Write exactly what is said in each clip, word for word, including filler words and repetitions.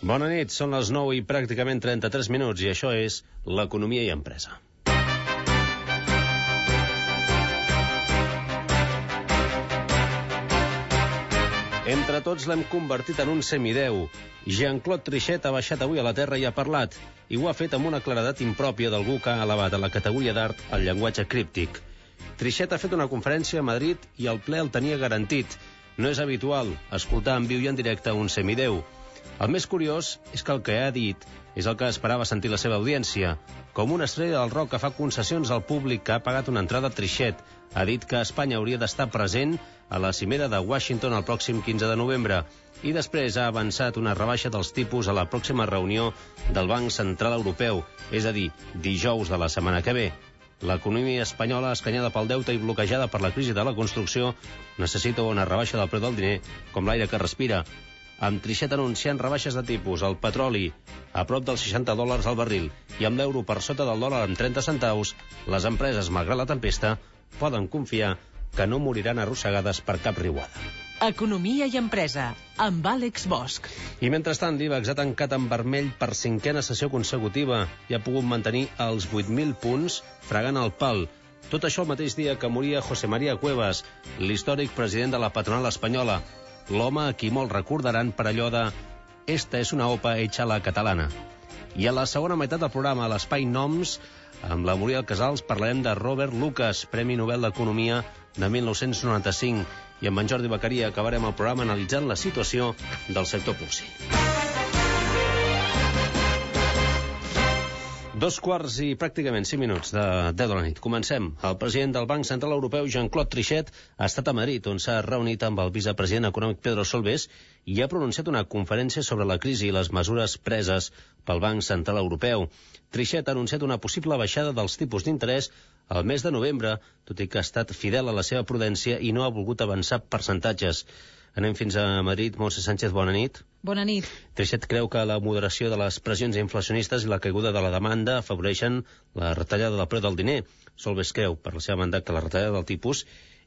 Bona nit, són les nou i pràcticament trenta-tres minuts i això és l'Economia i Empresa. Entre tots l'hem convertit en un semideu. Jean-Claude Trichet ha baixat avui a la Terra i ha parlat, i ho ha fet amb una claredat impròpia d'algú que ha elevat a la categoria d'art el llenguatge críptic. Trichet ha fet una conferència a Madrid i el ple el tenia garantit. No és habitual escoltar en viu i en directe un semideu. El més curiós és que el que ha dit és el que esperava sentir la seva audiència. Com una estrella del rock que fa concessions al públic que ha pagat una entrada, Trichet ha dit que Espanya hauria d'estar present a la cimera de Washington el pròxim quinze de novembre i després ha avançat una rebaixa dels tipus a la pròxima reunió del Banc Central Europeu, és a dir, dijous de la setmana que ve. L'economia espanyola, escanyada pel deute i bloquejada per la crisi de la construcció, necessita una rebaixa del preu del diner com l'aire que respira. Amb Trichet anunciant rebaixes de tipus, el petroli a prop dels seixanta dòlars al barril i amb l'euro per sota del dòlar amb trenta centaus, les empreses, malgrat la tempesta, poden confiar que no moriran arrossegades per cap riuada. Economia i Empresa, amb Àlex Bosch. I mentrestant l'IBEX ha tancat en vermell per cinquena sessió consecutiva i ha pogut mantenir els vuit mil punts fregant el pal. Tot això el mateix dia que moria José María Cuevas, l'històric president de la patronal espanyola, l'home a qui molt recordaran per allò de «Esta és una opa hecha a la catalana». I a la segona meitat del programa, a l'Espai Noms, amb la Muriel Casals, parlarem de Robert Lucas, Premi Nobel d'Economia de mil nou-cents noranta-cinc. I amb en Jordi Beccaria acabarem el programa analitzant la situació del sector porcí. Dos quarts i pràcticament cinc minuts de deu de la nit. Comencem. El president del Banc Central Europeu, Jean-Claude Trichet, ha estat a Madrid, on s'ha reunit amb el vicepresident econòmic Pedro Solbes i ha pronunciat una conferència sobre la crisi i les mesures preses pel Banc Central Europeu. Trichet ha anunciat una possible baixada dels tipus d'interès al mes de novembre, tot i que ha estat fidel a la seva prudència i no ha volgut avançar percentatges. Anem fins a Madrid. Montse Sánchez, bona nit. Bona nit. Trichet creu que la moderació de les pressions inflacionistes i la caiguda de la demanda afavoreixen la retallada del preu del diner. Solbes creu, per la seva banda, que la retallada del tipus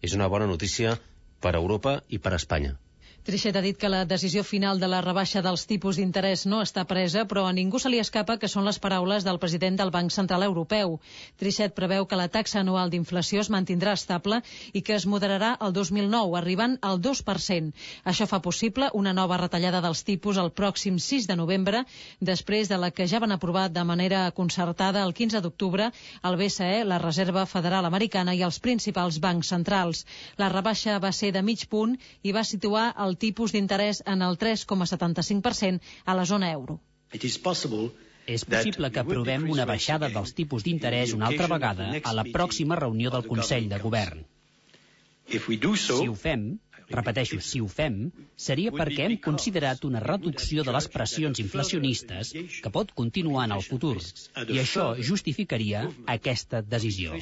és una bona notícia per a Europa i per a Espanya. Trichet ha dit que la decisió final de la rebaixa dels tipus d'interès no està presa, però a ningú se li escapa que són les paraules del president del Banc Central Europeu. Trichet preveu que la taxa anual d'inflació es mantindrà estable i que es moderarà el dos mil nou, arribant al dos per cent. Això fa possible una nova retallada dels tipus el pròxim sis de novembre, després de la que ja van aprovar de manera concertada el quinze d'octubre el B C E, la Reserva Federal Americana i els principals bancs centrals. La rebaixa va ser de mig punt i va situar el el tipus d'interès en el tres coma setanta-cinc per cent a la zona euro. És possible que aprovem una baixada dels tipus d'interès una altra vegada a la pròxima reunió del Consell de Govern. Si ho fem, repeteixo, si ho fem, seria perquè hem considerat una reducció de les pressions inflacionistes que pot continuar en el futur, i això justificaria aquesta decisió.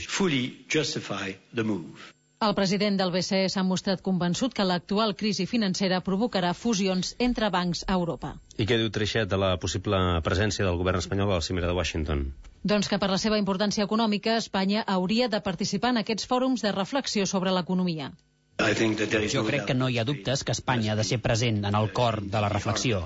El president del B C E s'ha mostrat convençut que l'actual crisi financera provocarà fusions entre bancs a Europa. I què diu Trichet de la possible presència del govern espanyol a la cimera de Washington? Doncs que per la seva importància econòmica, Espanya hauria de participar en aquests fòrums de reflexió sobre l'economia. Jo crec que no hi ha dubtes que Espanya ha de ser present en el cor de la reflexió.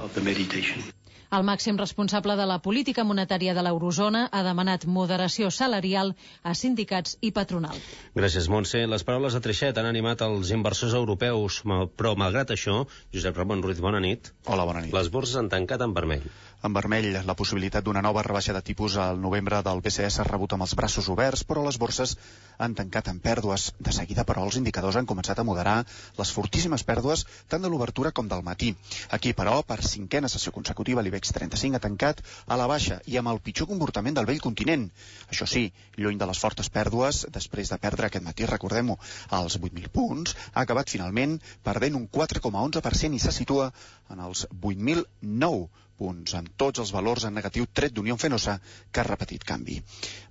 El màxim responsable de la política monetària de l'eurozona ha demanat moderació salarial a sindicats i patronal. Gràcies, Montse. Les paraules de Trichet han animat els inversors europeus, però malgrat això, Josep Ramon Ruiz, bona nit. Hola, bona nit. Les borses han tancat en vermell. En vermell, la possibilitat d'una nova rebaixa de tipus al novembre del B C E s'ha rebut amb els braços oberts, però les borses han tancat en pèrdues. De seguida, però, els indicadors han començat a moderar les fortíssimes pèrdues tant de l'obertura com del matí. Aquí, però, per cinquena sessió consecutiva, l'IBEX trenta-cinc ha tancat a la baixa i amb el pitjor comportament del vell continent. Això sí, lluny de les fortes pèrdues, després de perdre aquest matí, recordem-ho, als vuit mil punts, ha acabat finalment perdent un quatre coma onze per cent i se situa en els vuit mil nou punts, amb tots els valors en negatiu tret d'Unión Fenosa, que ha repetit canvi.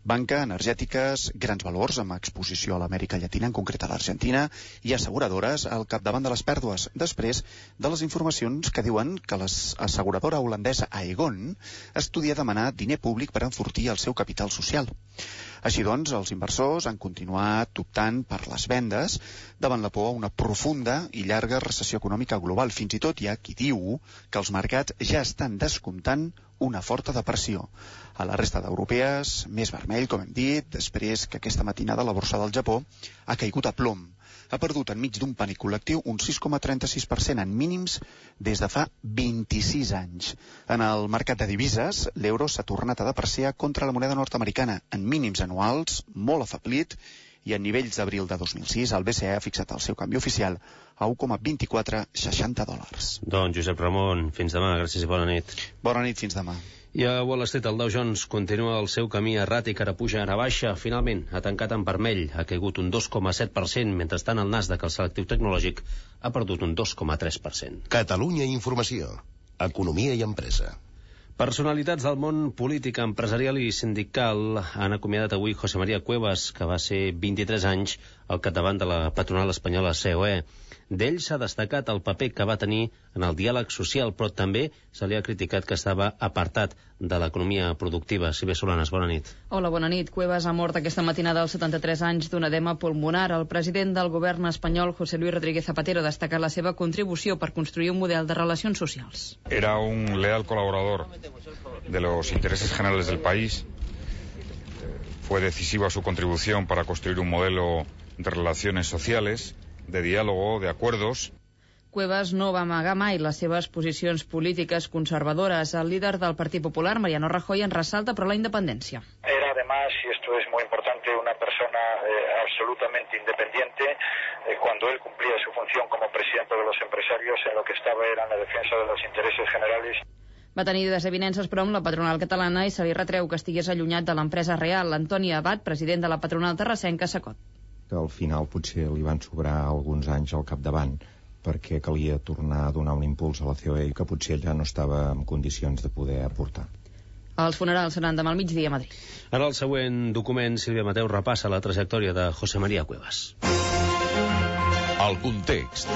Banca, energètiques, grans valors amb exposició a l'Amèrica Llatina, en concret a l'Argentina, i asseguradores al capdavant de les pèrdues, després de les informacions que diuen que l'asseguradora holandesa Aegon estudia demanar diner públic per enfortir el seu capital social. Així doncs, els inversors han continuat optant per les vendes davant la por a una profunda i llarga recessió econòmica global. Fins i tot hi ha qui diu que els mercats ja estan descomptant una forta depressió. A la resta d'europees, més vermell, com hem dit, després que aquesta matinada la borsa del Japó ha caigut a plom. Ha perdut enmig d'un pànic col·lectiu un sis coma trenta-sis per cent en mínims des de fa vint-i-sis anys. En el mercat de divises, l'euro s'ha tornat a depreciar contra la moneda nord-americana en mínims anuals, molt afeblit, i en nivells d'abril de dos mil sis el B C E ha fixat el seu canvi oficial a un coma vint-i-quatre seixanta dòlars. Doncs Josep Ramon, fins demà, gràcies i bona nit. Bona nit, fins demà. I a Wall Street el Dow Jones continua el seu camí erràtic, ara puja, ara baixa. Finalment ha tancat en vermell, ha caigut un dos coma set per cent, mentrestant el Nasdaq, el selectiu tecnològic, ha perdut un dos coma tres per cent. Catalunya Informació. Economia i empresa. Personalitats del món polític, empresarial i sindical han acomiadat avui José María Cuevas, que va ser vint-i-tres anys al capdavant de la patronal espanyola C O E. D'ell s'ha destacat el paper que va tenir en el diàleg social, però també se li ha criticat que estava apartat de l'economia productiva. Silvia Solanes, bona nit. Hola, bona nit. Cuevas ha mort aquesta matinada als setanta-tres anys d'un edema pulmonar. El president del govern espanyol, José Luis Rodríguez Zapatero, ha destacat la seva contribució per construir un model de relacions socials. Era un leal colaborador de los intereses generales del país. Fue decisiva su contribución para construir un modelo de relaciones sociales, de diálogo, de acuerdos. Cuevas no va amagar mai les seves posicions polítiques conservadores. El líder del Partit Popular, Mariano Rajoy, en ressalta però la independència. Era además, y esto es muy importante, una persona eh, absolutamente independiente. Eh, cuando él cumplía su función como presidente de los empresarios, en lo que estaba era en la defensa de los intereses generales. Va tenir desavinences, però, amb la patronal catalana i se li retreu que estigués allunyat de l'empresa real. Antoni Abad, president de la patronal terrassenca, s'acot. Que al final potser li van sobrar alguns anys al capdavant perquè calia tornar a donar un impuls a la C O E i que potser ella no estava en condicions de poder aportar. Els funerals seran demà al migdia a Madrid. En el següent document, Sílvia Mateu repassa la trajectòria de José María Cuevas. El context.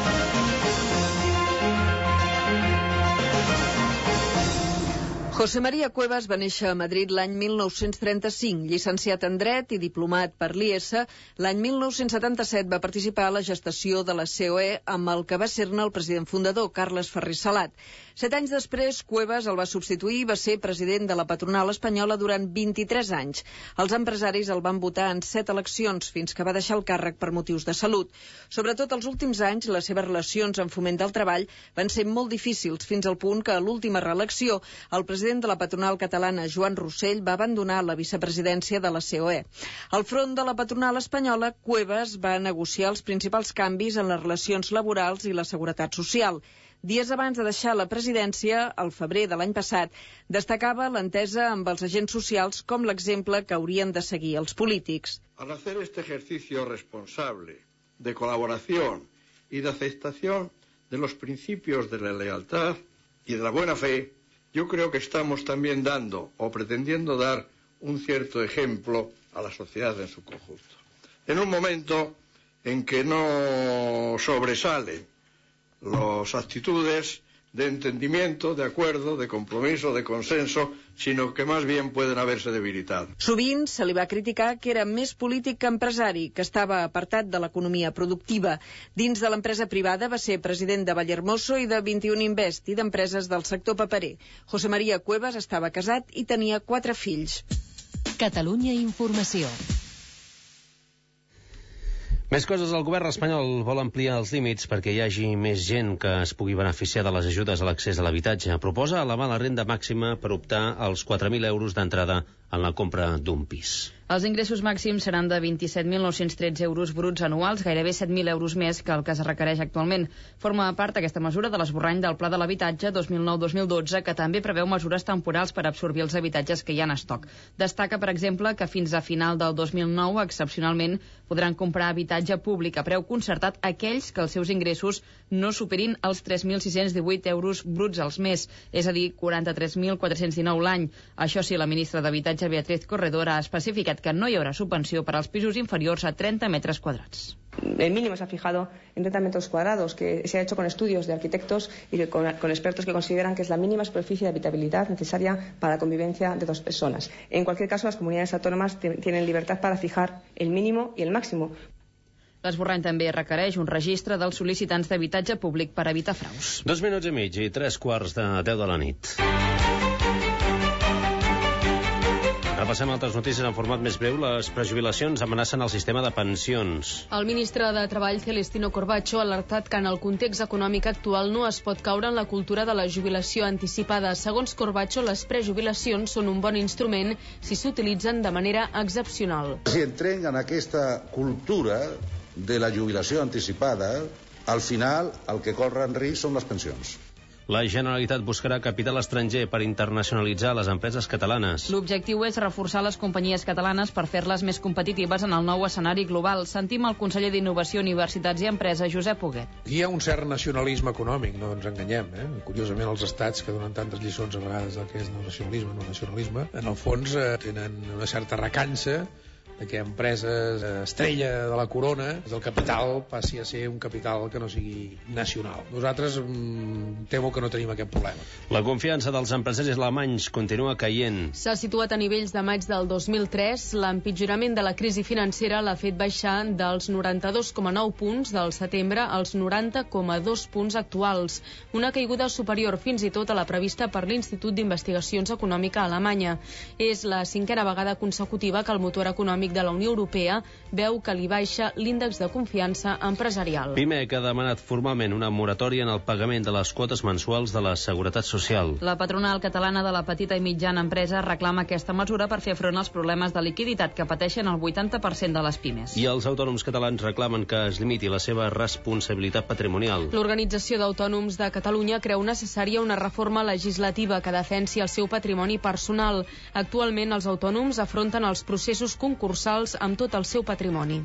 José María Cuevas va néixer a Madrid l'any mil nou-cents trenta-cinc. Llicenciat en Dret i diplomat per l'I E S, l'any mil nou-cents setanta-set va participar a la gestació de la C O E amb el que va ser-ne el president fundador, Carles Ferrer Salat. Set anys després, Cuevas el va substituir i va ser president de la patronal espanyola durant vint-i-tres anys. Els empresaris el van votar en set eleccions fins que va deixar el càrrec per motius de salut. Sobretot els últims anys, les seves relacions en foment del treball van ser molt difícils, fins al punt que a l'última reelecció el president El president de la patronal catalana, Joan Rossell, va abandonar la vicepresidència de la C O E. Al front de la patronal espanyola, Cuevas va negociar els principals canvis en les relacions laborals i la seguretat social. Dies abans de deixar la presidència, al febrer de l'any passat, destacava l'entesa amb els agents socials com l'exemple que haurien de seguir els polítics. Al hacer este ejercicio responsable de colaboración y de aceptación de los principios de la lealtad y de la buena fe, yo creo que estamos también dando o pretendiendo dar un cierto ejemplo a la sociedad en su conjunto. En un momento en que no sobresalen las actitudes de entendimiento, de acuerdo, de compromiso, de consenso, sino que más bien pueden haberse debilitado. Sovint se li va criticar que era més polític que empresari, que estava apartat de l'economia productiva. Dins de l'empresa privada va ser president de Vallehermoso i de vint-i-un Invest i d'empreses del sector paperer. José María Cuevas estava casat i tenia quatre fills. Catalunya Informació. Més coses, el govern espanyol vol ampliar els límits perquè hi hagi més gent que es pugui beneficiar de les ajudes a l'accés a l'habitatge. Proposa elevar la renda màxima per optar als quatre mil euros d'entrada en la compra d'un pis. Els ingressos màxims seran de vint-i-set mil nou-cents tretze euros bruts anuals, gairebé set mil euros més que el que es requereix actualment. Forma part aquesta mesura de l'esborrany del Pla de l'Habitatge dos mil nou dos mil dotze, que també preveu mesures temporals per absorbir els habitatges que hi ha en estoc. Destaca, per exemple, que fins a final del dos mil nou, excepcionalment, podran comprar habitatge públic a preu concertat aquells que els seus ingressos no superin els tres mil sis-cents divuit euros bruts al mes, és a dir, quaranta-tres mil quatre-cents dinou l'any. Això sí, la ministra d'Habitatge, Beatriz Corredor, ha especificat que no hi haurà subvenció per als pisos inferiors a trenta metres quadrats. El mínimo se ha fijado en treinta metros cuadrados, que se ha hecho con estudios de arquitectos y de, con, con expertos que consideran que es la mínima superficie de habitabilidad necesaria para la convivencia de dos personas. En cualquier caso, las comunidades autónomas tienen libertad para fijar el mínimo y el máximo. L'esborrany també requereix un registre dels sol·licitants d'habitatge públic per evitar fraus. Dos minuts i mig i tres quarts de deu de la nit. Repassem altres notícies en format més breu. Les prejubilacions amenacen el sistema de pensions. El ministre de Treball, Celestino Corbacho, ha alertat que en el context econòmic actual no es pot caure en la cultura de la jubilació anticipada. Segons Corbacho, les prejubilacions són un bon instrument si s'utilitzen de manera excepcional. Si entrem en aquesta cultura de la jubilació anticipada, al final el que corre en risc són les pensions. La Generalitat buscarà capital estranger per internacionalitzar les empreses catalanes. L'objectiu és reforçar les companyies catalanes per fer-les més competitives en el nou escenari global. Sentim el conseller d'Innovació, Universitats i Empresa, Josep Huguet. Aquí hi ha un cert nacionalisme econòmic, no ens enganyem. Eh? Curiosament, els estats que donen tantes lliçons a vegades del que és el nacionalisme, no nacionalisme, en el fons eh, tenen una certa recança de que empreses estrella de la corona, el capital passi a ser un capital que no sigui nacional. Nosaltres mm, temo que no tenim aquest problema. La confiança dels empresaris alemanys continua caient. S'ha situat a nivells de maig del dos mil tres. L'empitjorament de la crisi financera l'ha fet baixar dels noranta-dos coma nou punts del setembre als noranta coma dos punts actuals. Una caiguda superior fins i tot a la prevista per l'Institut d'Investigacions Econòmica Alemanya. És la cinquena vegada consecutiva que el motor econòmic de la Unió Europea veu que li baixa l'índex de confiança empresarial. Pimec ha demanat formalment una moratòria en el pagament de les quotes mensuals de la Seguretat Social. La patronal catalana de la petita i mitjana empresa reclama aquesta mesura per fer front als problemes de liquiditat que pateixen el vuitanta per cent de les pimes. I els autònoms catalans reclamen que es limiti la seva responsabilitat patrimonial. L'Organització d'Autònoms de Catalunya creu necessària una reforma legislativa que defensi el seu patrimoni personal. Actualment, els autònoms afronten els processos concursals amb tot el seu patrimoni.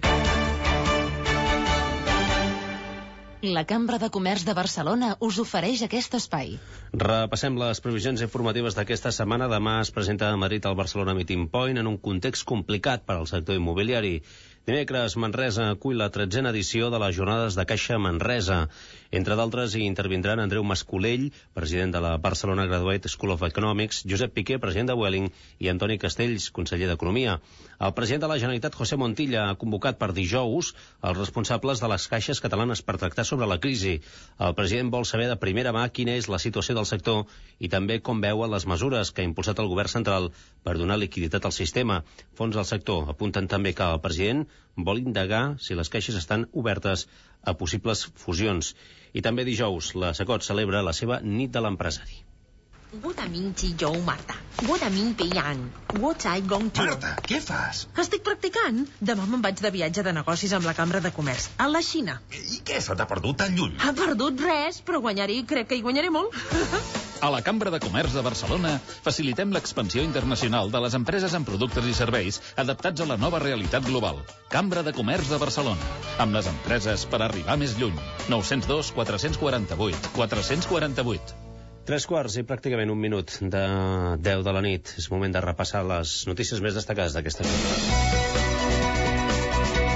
La Cambra de Comerç de Barcelona us ofereix aquest espai. Repassem les previsions informatives d'aquesta setmana. Demà es presenta a Madrid el Barcelona Meeting Point en un context complicat per al sector immobiliari. Dimecres, Manresa acull la tretzena edició de les Jornades de Caixa Manresa. Entre d'altres, hi intervindran Andreu Mascolell, president de la Barcelona Graduate School of Economics, Josep Piqué, president de Vueling, i Antoni Castells, conseller d'Economia. El president de la Generalitat, José Montilla, ha convocat per dijous els responsables de les caixes catalanes per tractar sobre la crisi. El president vol saber de primera mà quina és la situació del sector i també com veuen les mesures que ha impulsat el govern central per donar liquiditat al sistema. Fons del sector apunten també que el president vol indagar si les caixes estan obertes a possibles fusions. I també dijous, la Secot celebra la seva nit de l'empresari. Marta, què fas? Estic practicant. Demà me'n vaig de viatge de negocis amb la Cambra de Comerç, a la Xina. I què, se t'ha perdut tan lluny? Ha perdut res, però guanyar-hi crec que hi guanyaré molt. A la Cambra de Comerç de Barcelona facilitem l'expansió internacional de les empreses en productes i serveis adaptats a la nova realitat global. Cambra de Comerç de Barcelona, amb les empreses per arribar més lluny. nou zero dos, quatre quatre vuit, quatre quatre vuit. Tres quarts i pràcticament un minut de deu de la nit. És moment de repassar les notícies més destacades d'aquesta nit.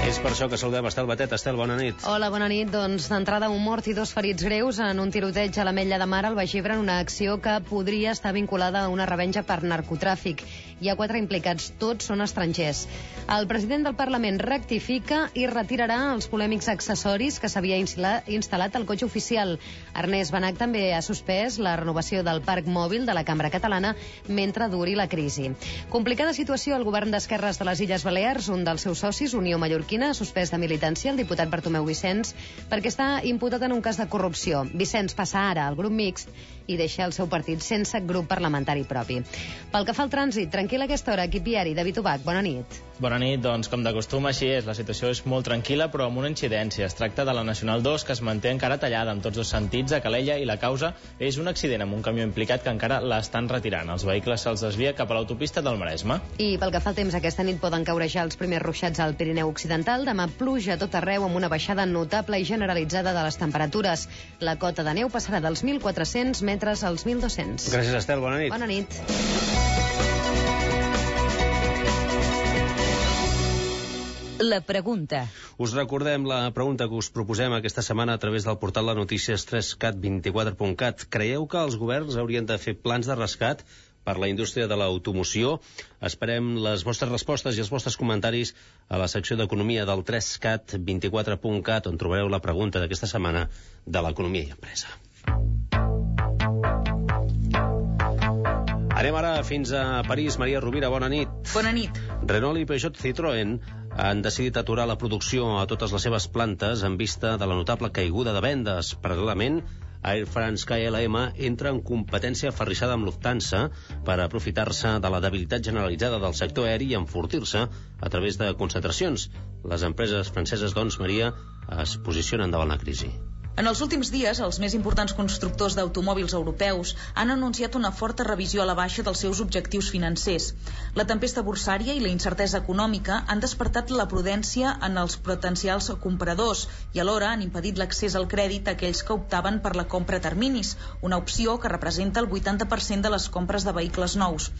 És per això que saludem Estel Batet. Estel, bona nit. Hola, bona nit. Doncs d'entrada un mort i dos ferits greus en un tiroteig a l'Ametlla de Mar al Baix Ebre en una acció que podria estar vinculada a una revenja per narcotràfic. Hi ha quatre implicats, tots són estrangers. El president del Parlament rectifica i retirarà els polèmics accessoris que s'havia instal·lat al cotxe oficial. Ernest Benach també ha suspès la renovació del parc mòbil de la Cambra Catalana mentre duri la crisi. Complicada situació al govern d'esquerres de les Illes Balears. Un dels seus socis, Unió Mallorquina, ha suspès de militància el diputat Bartomeu Vicenç perquè està imputat en un cas de corrupció. Vicenç passa ara al grup mixt i deixa el seu partit sense grup parlamentari propi. Pel que fa al trànsit, tranquil a aquesta hora, equip viari. David Ubach, bona nit. Bona nit, doncs com de costum així és. La situació és molt tranquil·la però amb una incidència. Es tracta de la Nacional dos que es manté encara tallada en tots dos sentits a Calella i la causa és un accident amb un camió implicat que encara l'estan retirant. Els vehicles se'ls desvia cap a l'autopista del Maresme. I pel que fa al temps, aquesta nit poden caure ja els primers ruixats al Pirineu Occidental. Demà pluja a tot arreu amb una baixada notable i generalitzada de les temperatures. La cota de neu passarà dels mil quatre-cents metres als mil dos-cents. Gràcies, Estel. Bona nit. Bona nit. La pregunta. Us recordem la pregunta que us proposem aquesta setmana a través del portal de notícies tres cat vint-i-quatre punt cat. Creieu que els governs haurien de fer plans de rescat per la indústria de l'automoció? Esperem les vostres respostes i els vostres comentaris a la secció d'Economia del tres cat vint-i-quatre punt cat, on trobareu la pregunta d'aquesta setmana de l'economia i empresa. Anem ara fins a París. Maria Rovira, bona nit. Bona nit. Renault i Peugeot Citroën han decidit aturar la producció a totes les seves plantes en vista de la notable caiguda de vendes. Paral·lelament, Air France K L M entra en competència aferrissada amb Lufthansa per aprofitar-se de la debilitat generalitzada del sector aeri i enfortir-se a través de concentracions. Les empreses franceses, doncs, Maria, es posicionen davant la crisi. En els últims dies, els més importants constructors d'automòbils europeus han anunciat una forta revisió a la baixa dels seus objectius financers. La tempesta borsària i la incertesa econòmica han despertat la prudència en els potencials compradors i alhora han impedit l'accés al crèdit a aquells que optaven per la compra a terminis, una opció que representa el vuitanta per cent de les compres de vehicles nous.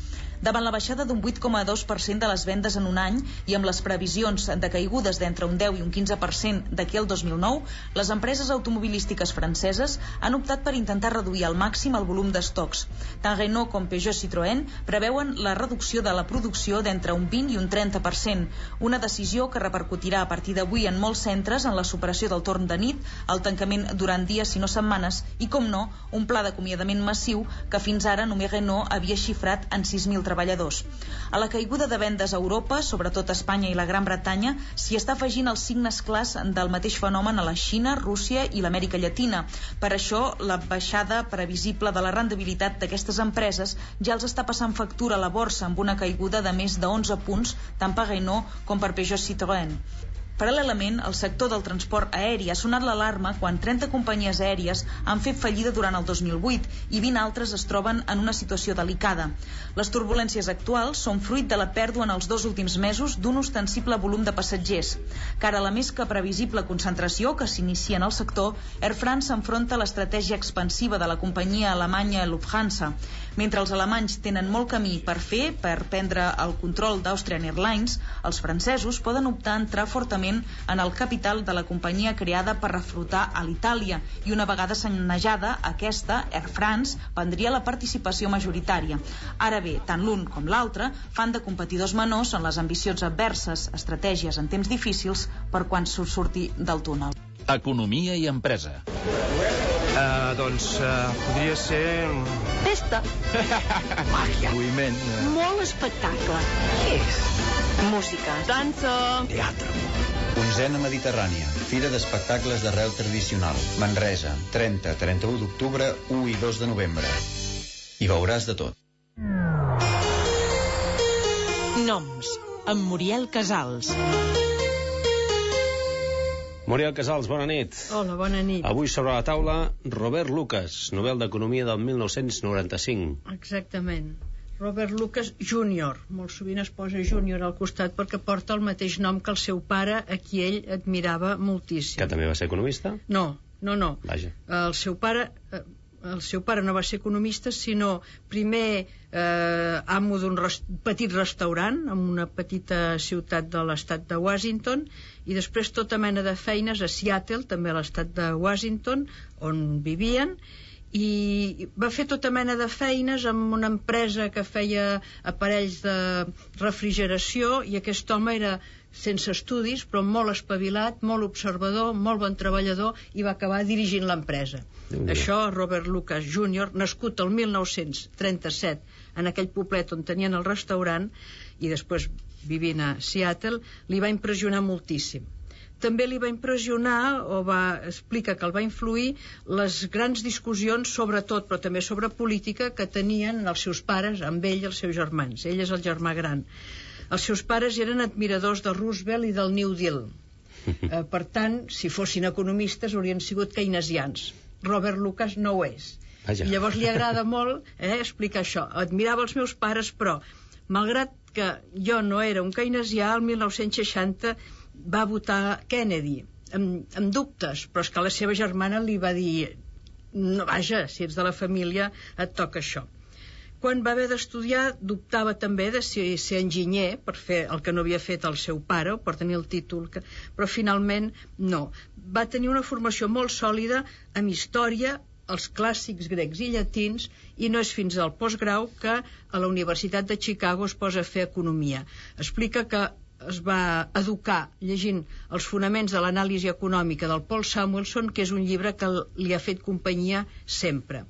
Davant la baixada d'un vuit coma dos per cent de les vendes en un any i amb les previsions de caigudes d'entre un deu i un quinze per cent d'aquí al dos mil nou, les empreses automobilístiques franceses han optat per intentar reduir al màxim el volum d'estocs. Tant Renault com Peugeot Citroën preveuen la reducció de la producció d'entre un vint i un trenta per cent, una decisió que repercutirà a partir d'avui en molts centres en la superació del torn de nit, el tancament durant dies si no setmanes i, com no, un pla d'acomiadament massiu que fins ara només Renault havia xifrat en sis mil treballadors. A la caiguda de vendes a Europa, sobretot a Espanya i la Gran Bretanya, s'hi està afegint els signes clars del mateix fenomen a la Xina, Rússia i l'Amèrica Llatina. Per això, la baixada previsible de la rendibilitat d'aquestes empreses ja els està passant factura a la borsa amb una caiguda de més de onze punts, tant per Renault com per Peugeot Citroën. Paral·lelament, el sector del transport aeri ha sonat l'alarma quan trenta companyies aèries han fet fallida durant el dos mil vuit i vint altres es troben en una situació delicada. Les turbulències actuals són fruit de la pèrdua en els dos últims mesos d'un ostensible volum de passatgers. Cara a la més que previsible concentració que s'inicia en el sector, Air France s'enfronta a l'estratègia expansiva de la companyia alemanya Lufthansa. Mentre els alemanys tenen molt camí per fer per prendre el control d'Austrian Airlines, els francesos poden optar a entrar fortament en el capital de la companyia creada per refrutar a l'Itàlia i una vegada sanejada aquesta, Air France prendria la participació majoritària. Ara bé, tant l'un com l'altre fan de competidors menors en les ambicions adverses, estratègies en temps difícils per quan se'l surti del túnel. Economia i empresa. Uh, doncs uh, podria ser... Festa. Màgia. Moviment. Uh... Molt espectacle. Què és? Música. Dansa. Teatre. Onzena Mediterrània, Fira d'Espectacles d'Arrel Tradicional, Manresa, trenta, trenta-u d'octubre, u i dos de novembre. Hi veuràs de tot. Noms, amb Muriel Casals. Muriel Casals, bona nit. Hola, bona nit. Avui sobre la taula, Robert Lucas, Nobel d'Economia del mil nou-cents noranta-cinc. Exactament. Robert Lucas júnior, molt sovint es posa júnior al costat perquè porta el mateix nom que el seu pare, a qui ell admirava moltíssim. Que també va ser economista? No, no, no. Vaja. El seu pare... El seu pare no va ser economista, sinó primer eh, amo d'un res, petit restaurant en una petita ciutat de l'estat de Washington i després tota mena de feines a Seattle, també a l'estat de Washington, on vivien, i va fer tota mena de feines amb una empresa que feia aparells de refrigeració i aquest home era sense estudis però molt espavilat, molt observador, molt bon treballador i va acabar dirigint l'empresa. Això, Robert Lucas júnior, nascut el mil nou-cents trenta-set en aquell poblet on tenien el restaurant i després vivint a Seattle, li va impressionar moltíssim. També li va impressionar, o va explicar que el va influir, les grans discussions sobre tot, però també sobre política, que tenien els seus pares amb ell i els seus germans. Ell és el germà gran. Els seus pares eren admiradors de Roosevelt i del New Deal. Eh, per tant, si fossin economistes, haurien sigut keynesians. Robert Lucas no ho és. Vaja. I llavors li agrada molt eh, explicar això. Admirava els meus pares, però, malgrat que jo no era un keynesià, el mil nou-cents seixanta va votar Kennedy, amb, amb dubtes, però és que la seva germana li va dir no, vaja, si ets de la família et toca això. Quan va haver d'estudiar dubtava també de si ser enginyer per fer el que no havia fet el seu pare o per tenir el títol, que... però finalment no. Va tenir una formació molt sòlida amb història, els clàssics grecs i llatins, i no és fins al postgrau que a la Universitat de Chicago es posa a fer economia. Explica que es va educar llegint els fonaments de l'anàlisi econòmica del Paul Samuelson, que és un llibre que li ha fet companyia sempre.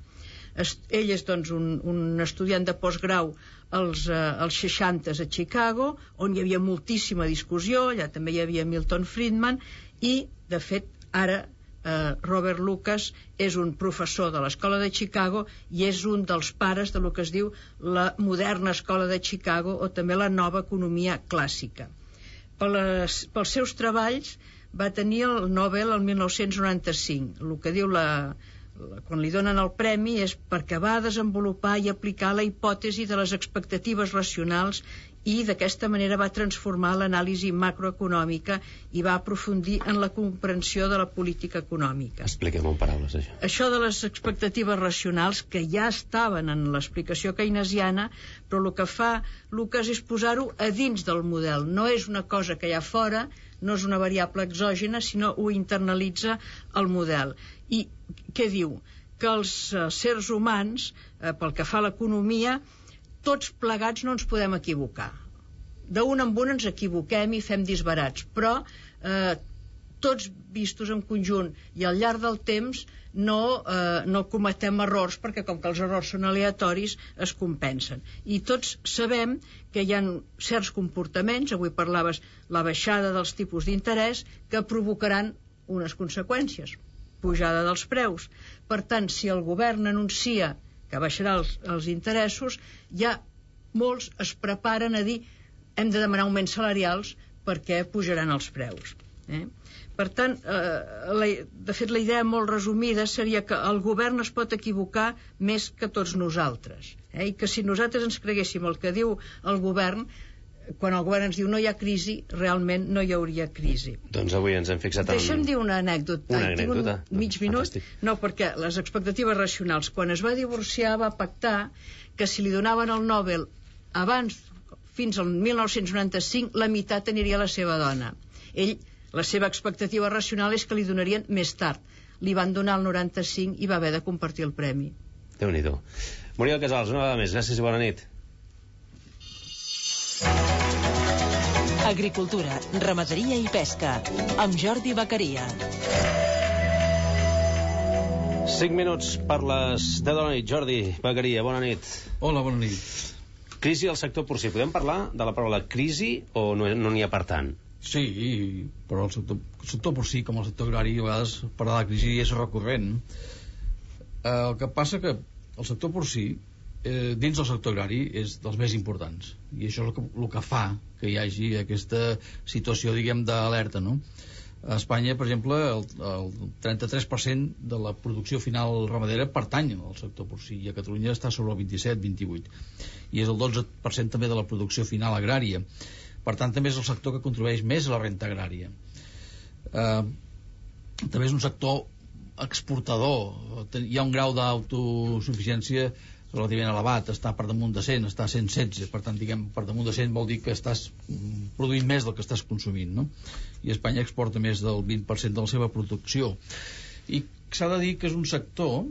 ell és doncs, un, un estudiant de postgrau als, eh, als seixantes a Chicago, on hi havia moltíssima discussió, allà també hi havia Milton Friedman, i, de fet, ara eh, Robert Lucas és un professor de l'escola de Chicago i és un dels pares de lo que es diu la moderna escola de Chicago, o també la nova economia clàssica. Per les, pels seus treballs va tenir el Nobel el mil nou-cents noranta-cinc. El que diu la, la, quan li donen el premi és perquè va desenvolupar i aplicar la hipòtesi de les expectatives racionals i d'aquesta manera va transformar l'anàlisi macroeconòmica i va aprofundir en la comprensió de la política econòmica. Expliquem en paraules, això. Això de les expectatives racionals, que ja estaven en l'explicació keynesiana, però el que fa Lucas és posar-ho a dins del model. No és una cosa que hi ha fora, no és una variable exògena, sinó ho internalitza el model. I què diu? Que els eh, sers humans, eh, pel que fa a l'economia, tots plegats no ens podem equivocar. D'un en un ens equivoquem i fem disbarats, però eh, tots vistos en conjunt i al llarg del temps no, eh, no cometem errors, perquè com que els errors són aleatoris es compensen. I tots sabem que hi ha certs comportaments, avui parlaves la baixada dels tipus d'interès, que provocaran unes conseqüències, pujada dels preus. Per tant, si el govern anuncia que baixarà els, els interessos, ja molts es preparen a dir hem de demanar augments salarials perquè pujaran els preus. Eh? Per tant, eh, la, de fet, la idea molt resumida seria que el govern es pot equivocar més que tots nosaltres. Eh? I que si nosaltres ens creguéssim el que diu el govern, quan el govern ens diu no hi ha crisi, realment no hi hauria crisi. Doncs avui ens hem fixat en... Deixa'm dir una anècdota. Una Ai, anècdota? Un mig minut? Fantàstic. No, perquè les expectatives racionals, quan es va divorciar va pactar que si li donaven el Nobel abans, fins al mil nou-cents noranta-cinc, la meitat aniria a la seva dona. Ell, la seva expectativa racional és que li donarien més tard. Li van donar el noranta-cinc i va haver de compartir el premi. Déu-n'hi-do. Muriel Casals, una vegada més, gràcies i bona nit. Agricultura, ramaderia i pesca, amb Jordi Bacaria. cinc minuts per les deu de la nit. Jordi Bacaria, bona nit. Hola, bona nit. Crisi al sector porcí. Podem parlar de la paraula crisi o no n'hi no ha per tant? Sí, però el sector, el sector porcí, com el sector agrari, a vegades parlar de crisi és recurrent. Eh, el que passa que el sector porcí, eh, dins del sector agrari, és dels més importants. I això és el que, el que fa que hi hagi aquesta situació, diguem, d'alerta, no? A Espanya, per exemple, el, el trenta-tres per cent de la producció final ramadera pertany al sector porcí, i a Catalunya està sobre el vint-i-set vint-i-vuit, i és el dotze per cent també de la producció final agrària. Per tant, també és el sector que contribueix més a la renta agrària. Eh, també és un sector exportador. Hi ha un grau d'autosuficiència relativament elevat, està per damunt de cent, està a cent setze, per tant, diguem, per damunt de cent vol dir que estàs produint més del que estàs consumint, no? I Espanya exporta més del vint per cent de la seva producció. I s'ha de dir que és un sector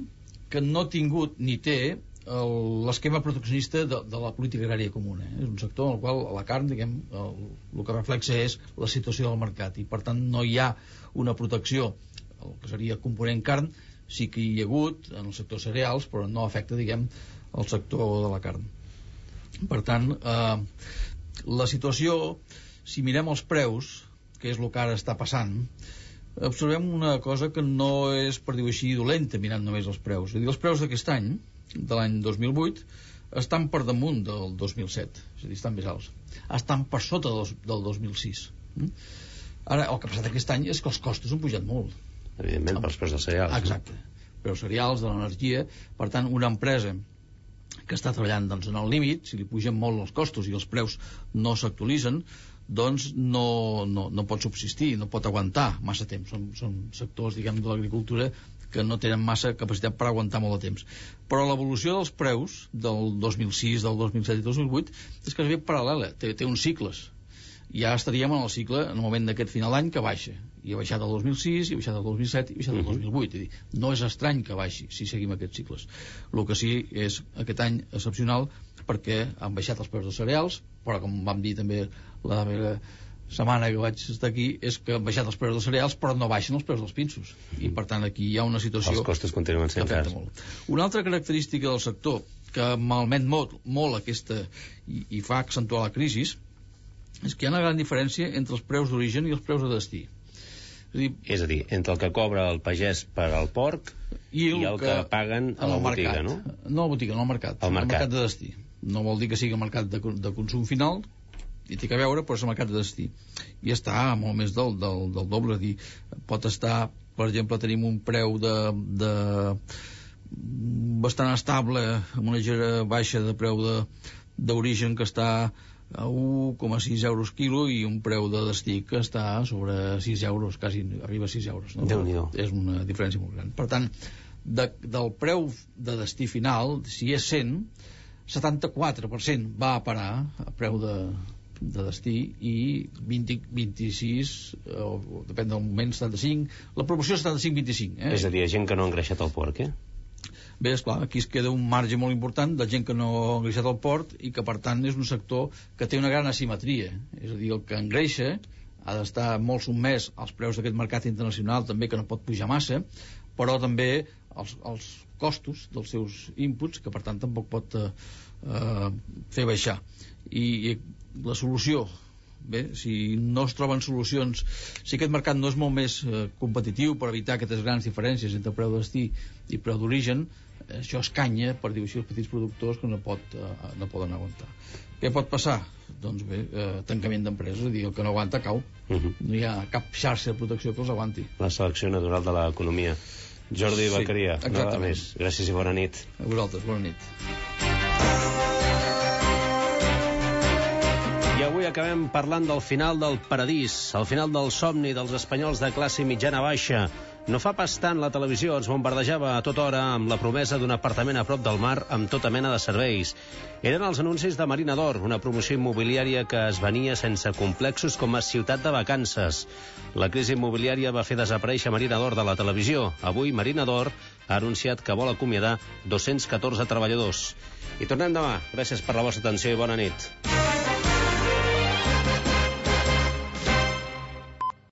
que no ha tingut ni té l'esquema proteccionista de, de la política agrària comuna. Eh? És un sector en el qual la carn, diguem, el, el que reflexa és la situació del mercat, i per tant no hi ha una protecció, el que seria component carn, sí que hi ha hagut en el sector cereals, però no afecta, diguem, el sector de la carn. Per tant, eh, la situació, si mirem els preus, que és el que ara està passant, observem una cosa que no és, per dir-ho així, dolenta mirant només els preus. És a dir, els preus d'aquest any, de l'any dos mil vuit, estan per damunt del dos mil set, és a dir, estan més alts. Estan per sota del, del dos mil sis. Ara, el que ha passat aquest any és que els costos han pujat molt. Evidentment, pels preus dels cereals. Exacte. No? Preus cereals, de l'energia. Per tant, una empresa que està treballant doncs, en el límit, si li pugen molt els costos i els preus no s'actualitzen, doncs no, no, no pot subsistir, no pot aguantar massa temps. Són, són sectors, diguem, de l'agricultura que no tenen massa capacitat per aguantar molt de temps. Però l'evolució dels preus del dos mil sis, del dos mil set i dos mil vuit és que és ben paral·lela, té, té uns cicles. Ja estaríem en el cicle en el moment d'aquest final d'any que baixa, i ha baixat el dos mil sis, i ha baixat el dos mil set i ha baixat el dos mil vuit. És dir, no és estrany que baixi si seguim aquests cicles. El que sí és aquest any excepcional perquè han baixat els preus dels cereals, però com vam dir també la darrera setmana que vaig estar aquí és que han baixat els preus dels cereals però no baixen els preus dels pinsos i per tant aquí hi ha una situació els costos continuen sent cars. Una altra característica del sector que malmet molt, molt aquesta i, i fa accentuar la crisi és que hi ha una gran diferència entre els preus d'origen i els preus de destí. És a dir, és a dir entre el que cobra el pagès per al porc i el, i el que, que paguen a la botiga, no? No a la botiga, no al mercat, al mercat. mercat de destí. No vol dir que sigui mercat de, de consum final, i té que veure, però és el mercat de destí. I està molt més del, del, del doble. Dir, pot estar, per exemple, tenim un preu de, de bastant estable, amb una gera baixa de preu d'origen que està a un coma sis euros quilo i un preu de destí que està sobre sis euros, quasi arriba a sis euros. No? És una diferència molt gran. Per tant, de, del preu de destí final, si és cent, setanta-quatre per cent va a parar a preu de, de destí i vint, vint-i-sis, o depèn del moment, setanta-cinc, la proporció és setanta-cinc vint-i-cinc. Eh? És a dir, gent que no ha engreixat el porc, eh? Bé, esclar, aquí es queda un marge molt important de gent que no ha engreixat el porc i que, per tant, és un sector que té una gran asimetria. És a dir, el que engreixa ha d'estar molt sotmès als preus d'aquest mercat internacional, també, que no pot pujar massa, però també els, els costos dels seus inputs, que, per tant, tampoc pot eh, eh, fer baixar. I, i la solució, bé, si no es troben solucions, si aquest mercat no és molt més eh, competitiu per evitar aquestes grans diferències entre preu de destí i preu d'origen, això escanya, per dir-ho així, els petits productors que no, pot, eh, no poden aguantar. Què pot passar? Doncs bé, eh, tancament d'empreses, és a dir, el que no aguanta cau. Uh -huh. No hi ha cap xarxa de protecció que els aguanti. La selecció natural de l'economia. Jordi sí, Beccaria, nada més. Gràcies i bona nit. A vosaltres, bona nit. I avui acabem parlant del final del paradís, el final del somni dels espanyols de classe mitjana-baixa. No fa pas tant la televisió ens bombardejava a tota hora amb la promesa d'un apartament a prop del mar amb tota mena de serveis. Eren els anuncis de Marina d'Or, una promoció immobiliària que es venia sense complexos com a ciutat de vacances. La crisi immobiliària va fer desaparèixer Marina d'Or de la televisió. Avui Marina d'Or ha anunciat que vol acomiadar dos-cents catorze treballadors. I tornem demà. Gràcies per la vostra atenció i bona nit.